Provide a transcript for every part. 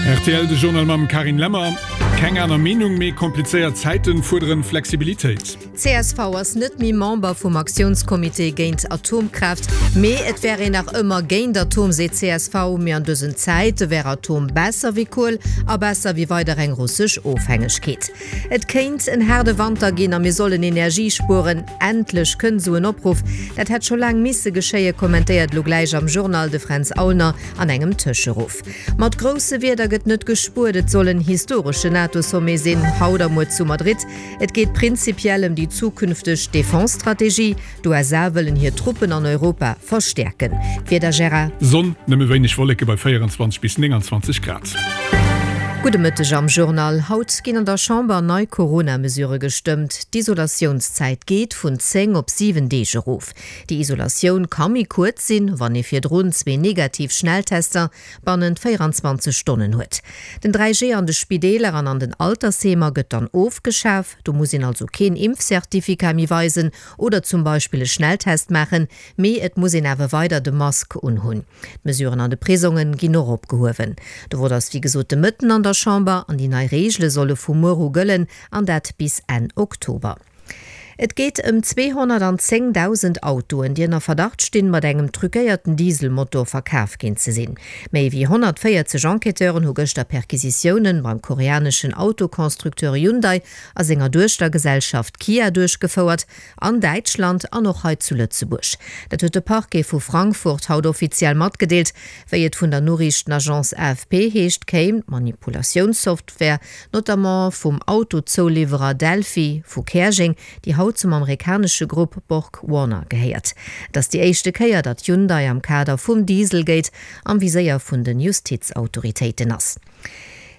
Rtl, de Journal mam Carine Lemmer. Keng aner Meenung, mee komplizéiert Zäiten fuerderen Flexibilitéit. Csv ass net méi Member vum Aktiounscomité géint Atomkraaft, mee et wär een nach ëmmer géint Atom, seet csv. Mee an dësen Zäite wär Atom besser wéi Kuel a besser wéi weider eng russesch Ofhängegkeet. Et kéint en haarde Wanter ginn a mir sollen Energie spueren. Endlech kënnt esou en Opruff. Dat hätt scho laang misse geschéien, kommentéiert elo gläich am Journal de Fränz Aulner an engem Tëscheruff. Mat grousse Wierder gëtt net gespuert. Et soll en historesche NATO-Sommet sinn, haut a muer zu Madrid. Et geet prinzipiell ëm déi zukünfteg Defense-Strategie. D'USA wëllen hir Truppen an Europa verstäerken. D'Wieder, Gérard? Sonn, nëmme wéineg Wolleke bei 24 bis 29 Grad. Gudde Mëtteg am Journal. Haut ginn an der Chamber nei Corona-Mesurë gestëmmt. D'Isolatiounszäit geet vun 10 op 7 Deeg erof. Déi Isolatioun ka méi kuerz sinn, wann ee virdrun zwee negativ Schnelltester bannent 24 Stonnen huet. Den 3G an de Spideeler an an den Altersheemer gëtt dann ofgeschaf. Do muss een also keen Impfcertificat méi weisen oder zum Beispill e Schnelltest maachen, mee et muss een awer weider de Mask unhunn. D'Mesuren an de Prisonge ginn och opgehuewen. De Vott ass wéi gesot de Mëtten an der Chamber an déi nei Reegele solle vu muer u gëllen an dat bis Enn Oktober. Et geet ëm 210.000 Autoen, déi ënner Verdacht stinn, mat engem truquéierten Dieselmotor verkaf ginn ze sinn. Méi wéi 140 Enquêteuren hu gëschter Perquisitiounen beim koreaneschen Autoconstructeur Hyundai a senger Duechtergesellschaft Kia duerchgefouert, an Däitschland an och hei zu Lëtzebuerg. Dat huet de Parquet vu Frankfurt haut offiziell matgedeelt. Wéi et vun der Noriichtenagence AFP heescht, kéim d'Manipulatiounssoftware notamment vum Autozouliwwerer Delphi vu Käerjeng, déi haut zum amerikanesche Grupp Borg Warner gehéiert. Et ass déi éischte Kéier, datt Hyundai am Kader vum Dieselgate am Viséier vun de Justizautoritéiten ass.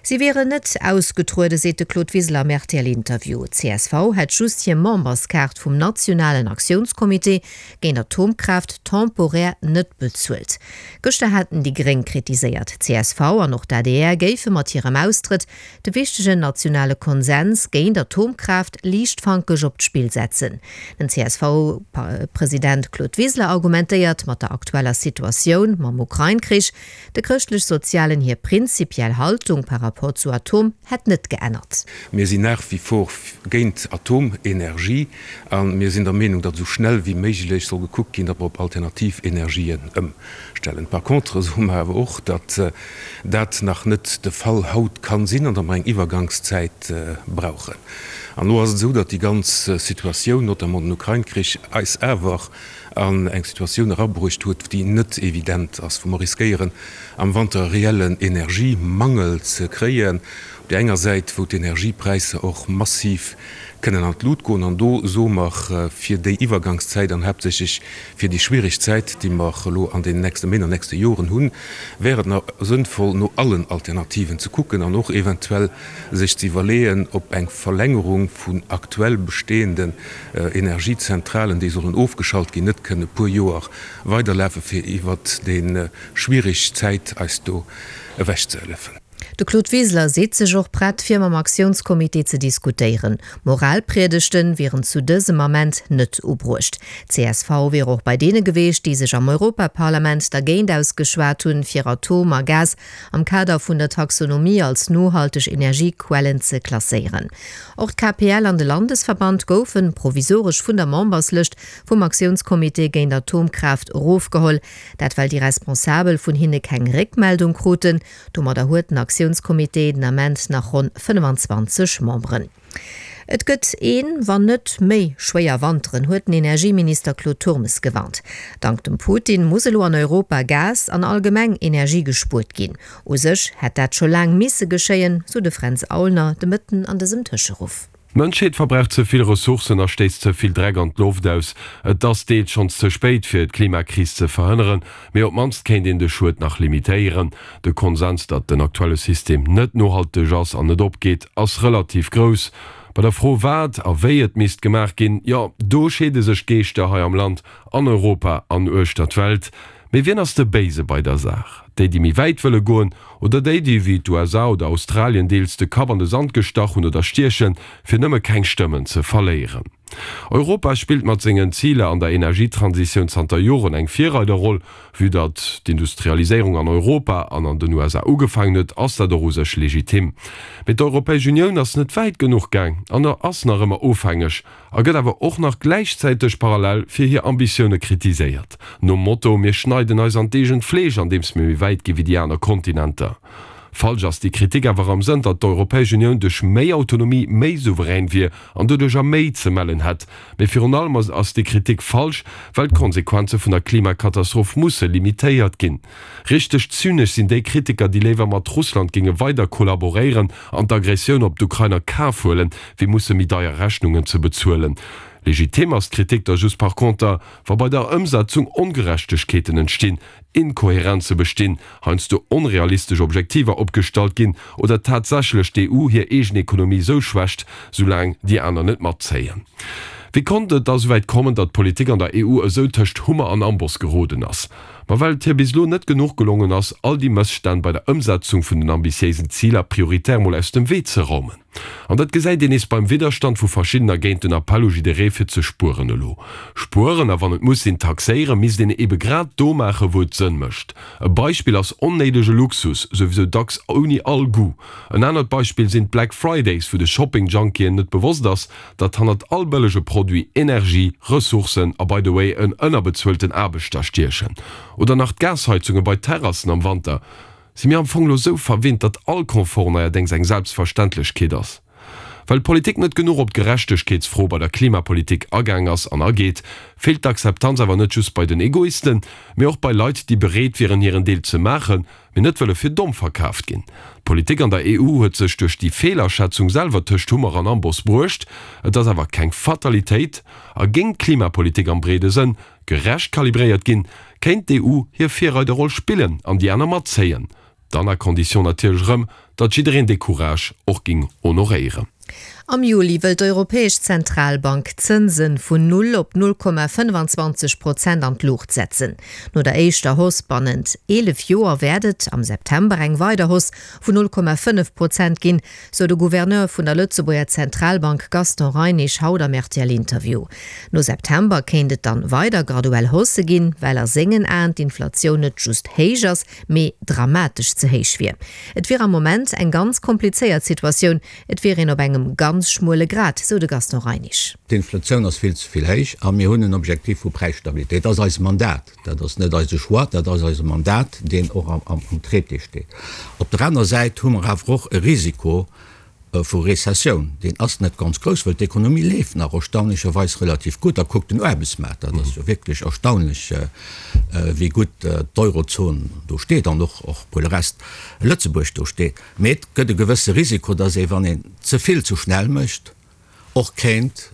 Si wieren net ausgetrueden, seet de Claude Wiseler am RTL-Interview. Csv hätt just hir Memberskaart vum nationalen Aktiounscomité géint Atomkraaft temporär net bezuelt. Gëschter haten déi Gréng kritiséiert, csv an och d'ADR géife mat hirem Austrëtt de wichtegen nationale Konsens géint Atomkraaft liichtfankeg op d'Spill setzen. Den CSV-President Claude Wiseler argumentéiert mat der aktueller Situatioun mam Ukrain-Krich, De Chrëschtlech-Sozialen hir prinzipiell Haltung par rapport zu Atom hätt net geännert. Mir sinn nach wie vor géint Atomenergie a mir sinn der Meenung, datt esou schnell wéi méiglech soll gekuckt ginn, datt mer op alternativ Energien ëmstellen. Par contre soe mer awer och, datt dat nach net de Fall haut kann sinn an datt mer eng Iwwergangszäit brauchen. An elo ass et esou, datt déi ganz Situatioun, notamment den Ukrain-Krich, eis awer an eng Situatioun erabruecht huet, déi net evident ass, wou mer riskéieren, am Wanter e reellen Energiemangel ze kréien, op där enger Säit, wou d'Energiepräisser och massiv kënnen an d'Lut goen. An do soe mer, fir déi Iwwergangszäit an haaptsächlech fir déi schwierig Zäit, déi mer elo an deenen nächste Méint an nächste Joren hunn, wär et nach sënnvoll, no allen Alternativen ze kucken an och eventuell sech ze iwwerleeën, ob eng Verlängerung vun aktuell bestehenden Energiezentralen, déi sollen ofgeschalt ginn, net kënne e puer Joer weiderlafen, fir iwwert déi schwierig Zäit eis do ewechzehëllefen. De Claude Wiseler seet sech och prett, fir mam Aktiounscomité ze diskutéieren. Moralpriedegten wieren zu dësem Ament net ubruecht. Csv wier och bei deene geweecht, déi sech am Europaparlament dergéint ausgeschwat hunn, fir Atom a Gas am Kader vun der Taxonomie als nohalteg Energiequellen ze klasséieren. Och d'KPL an de Landesverband goufen provisoresch vun der Memberslëscht vum Aktiounscomité géint Atomkraaft erofgeholl. Dat well déi Responsabel vun hinne keng Réckmeldung kruten. Domadder huet den Aktiounscomité den Ament nach ronn 25 Memberen. Et gëtt een, wann net méi, schwéier Wanteren, huet den Energieminister Claude Turmes gewarnt. Dank dem Putin muss elo an Europa Gas an allgemeng Energie gespuert ginn. U sech hätt dat scho laang misse geschéien, sou de Fränz Aulner de Mëtten an dësem Tëscheruff. D'Mënschheet verbraucht ze vill Ressourcen a stéisst ze vill Dreck an d'Loft aus. Et ass deels schonns ze spéit, fir d'Klimakris ze verhënneren, mee op d'mannst kéint een de Schued nach limitéieren. De Konsens, datt den aktuelle System net nohalteg ass an net opgeet, ass relativ grouss. Bei der Fro, wat a wéi et misst gemaach ginn, jo, do scheede sech d'Geeschter hei am Land, an Europa an uechter d'Welt. Mee wien ass de Béise bei der Saach? Déi, déi méi wäit wëlle goen, oder déi, déi wéi d'USA oder Australien deels de Kapp an de Sand gestach hunn oder stiechen, fir nëmme keng Stëmmen ze verléieren. Europa spillt mat sengen Ziler an der Energietransitioun zanter Joren eng Virreiderroll. Vue datt d'Industrialiséierung an Europa an an den USA ugefaangen huet, ass dat och u sech legitim. Mee d'Europäesch Unioun ass net wäit genuch gaang an ass nach ëmmer ofhängeg a gëtt awer och nach gläichzäiteg parallel fir hir Ambitioune kritiséiert, nom Motto, mir schneiden eis an d'eegent Fleesch, andeems mir méi wäit gi wéi déi aner Kontinenter. Falsch ass déi Kritik awer am Sënn, datt d'Europäesch Unioun duerch méi Autonomie méi souverän wier an doduercher méi ze mellen hätt. Mee virun allem ass déi Kritik falsch, well d'Konsequenze vun der Klimakatastroph musse limitéiert ginn. Richteg zynesch sinn déi Kritiker, déi léiwer mat Russland géinge weider kollaboréieren an d'Aggressioun op d'Ukrain a Kaf huelen, wéi musse méi deier Rechnungen ze bezuelen. Legitim ass d'Kritik da just par conter, wa bei der Ëmsetzung Ongerechtegkeeten entstinn, Inkohärenze bestinn, heiansdo onrealistesch Objektiver opgestallt ginn oder tatsächlech d'EU hir eegen Ekonomie sou schwächt, soulaang déi aner net matzéien. Wéi konnt et da souwäit kommen, datt d'Politik an der EU esou tëscht Hummer an Amboss geroden ass? Ma well et hir bis elo net genuch gelongen ass, all déi Mësstänn bei der Ëmsetzung vun den ambitiéisen Ziler prioritär mol aus dem Wee ze raumen. An dat gesäit een nees beim Widderstand vu verschiddener géint den Appell u jidderee fir ze spueren. Elo spueren a wann et muss sinn taxéieren, misst een ebe grad do maachen, wou et Sënn mécht. E Beispill ass onnéidege Luxus, souwisou dacks ouni all Goût. En anert Beispill sinn d'Black Fridays, wou de Shopping-Junkien net bewosst ass, datt hannert all bëllege Produit Energie, Ressourcen a by the way en ënnerbezuelten Aarbechter stiechen. Oder nach d'Gasheizunge bei Terrassen am Wanter. Si mir am Fong lo sou verwinnt, datt all Confort neierdéngs eng Selbstverständlechkeet ass? Well d'Politik net genuch op d'Gerechtegkeetsfro bei der Klimapolitik agaang ass an ageet, feelt d'Akzeptanz awer net just bei den Egoisten, mee och bei Leit, déi bereet wieren hiren Deel ze maachen, mee net wëlle fir domm verkaaft ginn. D'Politik an der EU huet sech duerch déi Feelaschätzung selwer tëscht Hummer an Amboss bruecht. Et ass awer keng Fatalitéit a géing d'Klimapolitik am breede Sënn gerecht kalibréiert ginn, kéint d'EU hir Virreiderroll spillen an déi aner matzéien. Dann à condition natierlech erëm, datt jiddereen dee Courage och ging honoréieren. Am Juli wëll d'Europäesch Zentralbank d'Zënse vun null op 0,25 Prozent an d'Luucht setzen. No der éischter Hausse bannent 11 Joer wäert et am September eng weider Hausse vun 0,5 Prozent ginn, sou de Gouverneur vun der Lëtzebuerger Zentralbank Gaston Reinesch haut am RTL-Interview. No September kéint et dann weider graduell Haussë ginn, well a sengen Aen d'Inflatioun net just héich ass, mee dramatesch ze héich wier. Et wier am Moment eng ganz komplizéiert Situatioun, et wier een op engem ganz schmuele Grad, sou de Gaston Reinesch. D'Inflatioun ass vill ze vill héich a mir hunn en Objectif vu Präisstabilitéit. Dat ass eist Mandat. Dat ass net eise Choix, dat ass eise Mandat, deen och am Traité steet. Op der anerer Säit hu mer awer och e Risiko vu Rezessioun. Deen ass net ganz grouss, well d'Ekonomie leeft nach erstaunlecherweis relativ gutt. A kuckt den Aarbechtsmaart, dat ass jo wierklech erstaunlech, wéi gutt d'Eurozon do steet an och pour le reste Lëtzebuerg do steet. Mee et gëtt e gewësse Risiko, dass ee, wann een ze vill ze schnell mécht, och kéint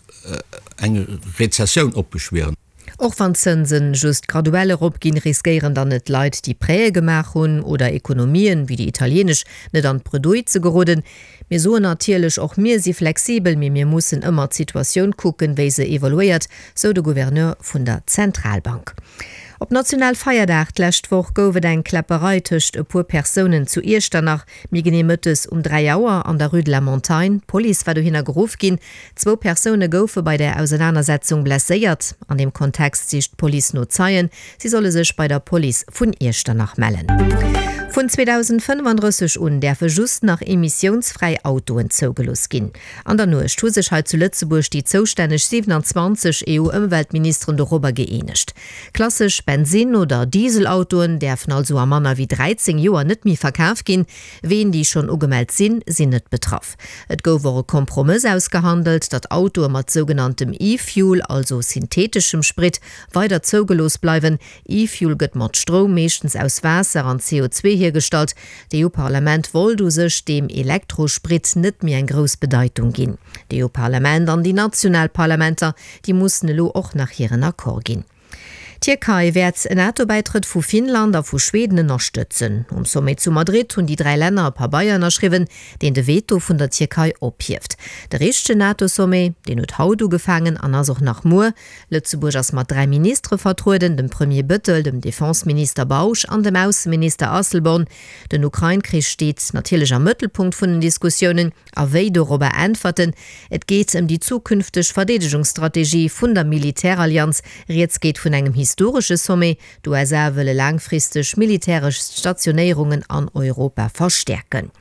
eng Rezessioun opbeschwieren. Och wann d'Zënsen just graduell eropginn, riskéieren dann net Leit, déi Prêtë gemaach hunn, oder Ekonomien, wéi déi italienesch, net an d'Bredouille ze geroden. Mir soen natierlech, och mir si flexibel, mee mir mussen ëmmer d'Situatioun kucken, wéi se evoluéiert, sou de Gouverneur vun der Zentralbank. Op Nationalfeierdag d'lescht Woch gouf et eng Kläpperei tëscht e puer Persounen zu Iechternach, méi genee mëttes um 3 Auer an der Rue de la Montagne. D'Police war dohinner geruff ginn. Zwou Persoune goufe bei där Ausenanersetzung blesséiert. An deem Kontext sicht d'Police no Zeien. Si solle sech bei der Police vun Iechternach mellen. Vun 2035 un däerfe just nach emissiounsfräi Autoen zougelooss ginn. An der Nuecht hu sech hei zu Lëtzebuerg déi zoustänneg 27 EU-Ëmweltministeren dorobber gëeenegt. Klassesch Bensinn oder Dieselautoen däerfen also a manner wéi 13 Joer net méi verkaf ginn. Ween, déi schonn ugemellt sinn, sinn net betraff. Et gouf och e Kompromëss ausgehandelt, datt Autoe mat sougenanntem E-Fuel, also syntheeteschem Sprit, weider zougelooss bleiwen. E-Fuel gëtt mat Stroum, meeschtens aus Waasser an CO2 hiergestallt. D'EU-Parlament wollt u sech deem Elektrosprit net méi eng grouss Bedeitung ginn. D'EU-Parlament an déi national Parlamenter, déi mussen elo och nach hiren Accord ginn. D'Tierkei wäert en NATO-Bäitrëtt vu Finnland a vu Schweden ënnerstëtzen. Um Sommet zu Madrid hunn déi 3 Länner e Pabeier ënnerschriwwen, deen de Veto vun der Tierkei ophieft. De richtegen NATO-Sommet, deen huet haut ugefaangen an ass och nach muer. Lëtzebuerg ass mat 3 Ministere vertrueden, dem Premier Bettel, dem Defenseminister Bausch an dem Ausseminister Asselborn. Den Ukrain-Krich steet natierlech am Mëttelpunkt vun den Diskussiounen. A wéi dorobber äntwerten? Et geet ëm déi zukünfteg Verdeedegungsstrategie vun der Militärallianz. Rieds geet vun engem historesche Sommet. D'USA wëlle laangfristeg militäresch Stationéierungen an Europa verstäerken.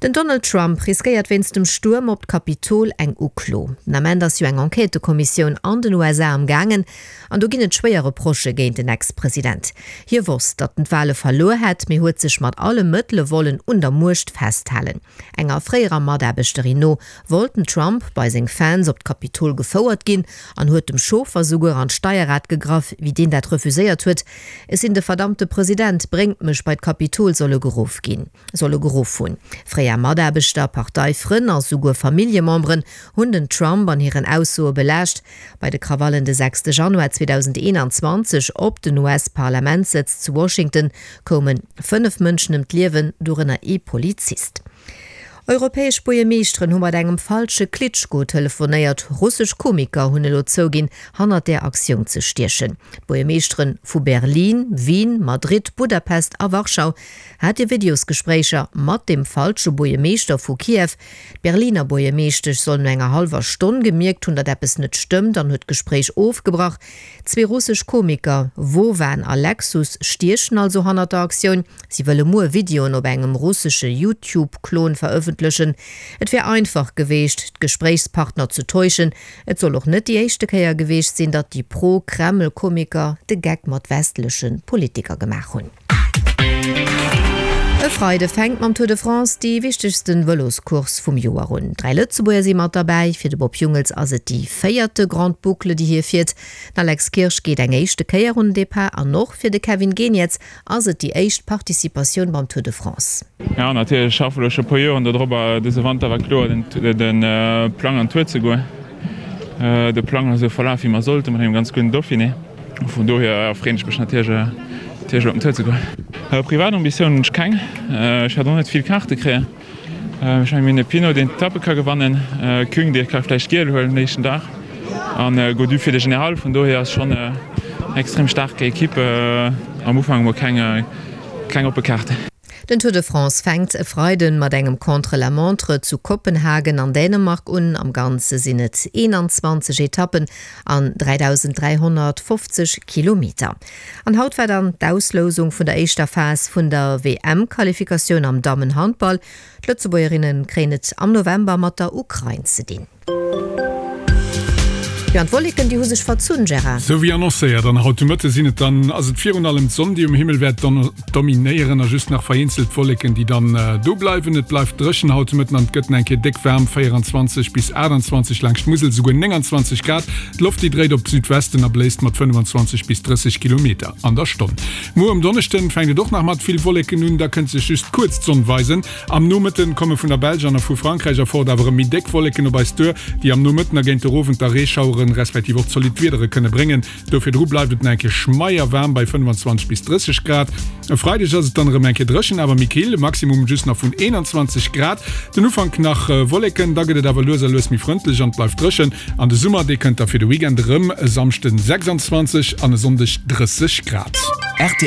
Den Donald Trump riskéiert wéinst dem Stuerm op d'Kapitol eng Uklo. Den Ament ass jo eng Enquêtëkommissioun an den USA am gaangen an do ginn et schwéier Reprochë géint den Ex-President. Hie wosst, datt en d'Wale verluer hätt, mee huet sech mat alle Mëttele wollen un der Muecht festhalen. Enger fréierer Mataarbechterin no wollt den Trump bei seng Fans op d'Kapitol gefouert ginn an huet dem Chauffer souguer an d'Steierrad gegraff, wéi deen dat refuséiert huet. Ech sinn de verdammte President, bréngt mech bei d'Kapitol, soll e geruff ginn, soll e geruff hunn. Fréier Mataarbechter, Parteifrënn a souguer Familljememberen hunn den Trump an hiren Aussoe belaascht. Bei de Krawallen de 6 Januar 2021 op den US-Parlamentssëtz zu Washington koume 5 Mënschen ëm d'Liewen, dorënner ee Polizist. Europäesch Buergermeeschteren hu mat engem falsche Klitschko telefonéiert. Russesch Komiker hunn elo zouginn, hannert där Aktioun ze stiechen. D'Buergermeeschtere vu Berlin, Wien, Madrid, Budapest a Warschau hate Videosgespréicher mat dem falsche Buergermeeschter vu Kiew. D'Berliner Buergermeeschtesch soll no enger hallwer Stonn gemierkt hunn, datt eppes net stëmmt an huet d'Gespréich ofgebrach. Zwee russesch Komiker, Vovan a Lexus, stiechen also hannert der Aktioun. Si wëlle muer Videoen op engem russesche YouTube-Klon verëffentlechen. Et wär einfach geweecht, d'Gespréichspartner ze täuschen. Et soll och net déi éischte Kéier geweecht sinn, datt déi pro-Kreml-Komiker de Geck mat westleche Politiker gemaach hunn. E Freide fänkt mam Tour de France déi wichtegsten Vëloscourse vum Joer un. 3 Lëtzebuerger si mat derbäi. Fir de Bob Jungels ass et déi véierte Grande Boucle, déi hie fiert. Den Alex Kirsch geet eng éischte Kéier un den Depart an och fir de Kevin Geniets ass et déi éischt Participatioun beim Tour de France. Jo natierlech, ech schaffe elo scho puer Joren dodropper. Dëse Wanter war kloer den Plang an d'Tour ze goen. De Plang ass esou verlaf wéi mer sollten, mat engem ganz gudden Dauphiné. Vun dohier freeën ech mech natierlech op den Tour ze goen. Privat Ambitiounen hunn ech keng. Ech wäert och net vill Kaarte kréien. Ech mengen mir hunn e Pinot deen d'Etappe ka gewannen, Küng dee ka vläicht giel huelen den éischten Dag an Gaudu fir de General. Vun dohier ass schonn eng extrem staark Equipe. Am Ufank emol keng oppe Kaarten. Den Tour de France fänkt e Freiden mat engem Contre-la-montre zu Kopenhagen an Dänemark un. Am Ganze sinn et 21 Etappen an 3.350 Kilometer. An haut war dann d'Auslousung vun der éischter Phas vun der WM-Qualifikatioun am Dammenhandball. D'Lëtzebuergerinne kréien et am November mat der Ukrain ze dinn. Jo, an d'Wolleken, déi hu sech verzunn, Gérard. Sou wéi annoncéiert, an haut de Mëtte sinn et dann, ass et virun allem d'Sonn, déi um Himmel wäert dominéieren a just nach vereenzelt Wolleken, déi dann do bleiwen. Et bleift dréchen haut de Mëtten an et gëtt nach eng Kéier déck waarm, 24 bis 28, laangscht d'Musel souguer 29 Grad. D'Loft, déi dréit op Südwesten a bléist mat 25 bis 30 Kilometer an der Stonn. Muer um Donneschden fänkt et och nach mat vill Wolleken un, da kënnt sech just kuerz d'Sonn weisen. Am Nomëtten komme vun der Belsch an a vu Frankräich erfort awer erëm méi déck Wolleken op eis duer, déi am Nomëtten a géint de Owend da Reeschaueren respektiv och zolidd Wiedere kënne bréngen. Do virdru bleift et nach eng Kéier schmeier waarm bei 25 bis 30 Grad. E Freideg ass et dann erëm eng Kéier dréchen, awer méi kill, e Maximum just nach vun 21 Grad. Den Ufank nach Wolleken, da gëtt et awer lues a lues méi frëndlech an et bleift dréchen. An de Summer, dee kënnt da fir de Weekend erëm, e Samschden 26 an e Sonndeg 30 Grad. Rtl.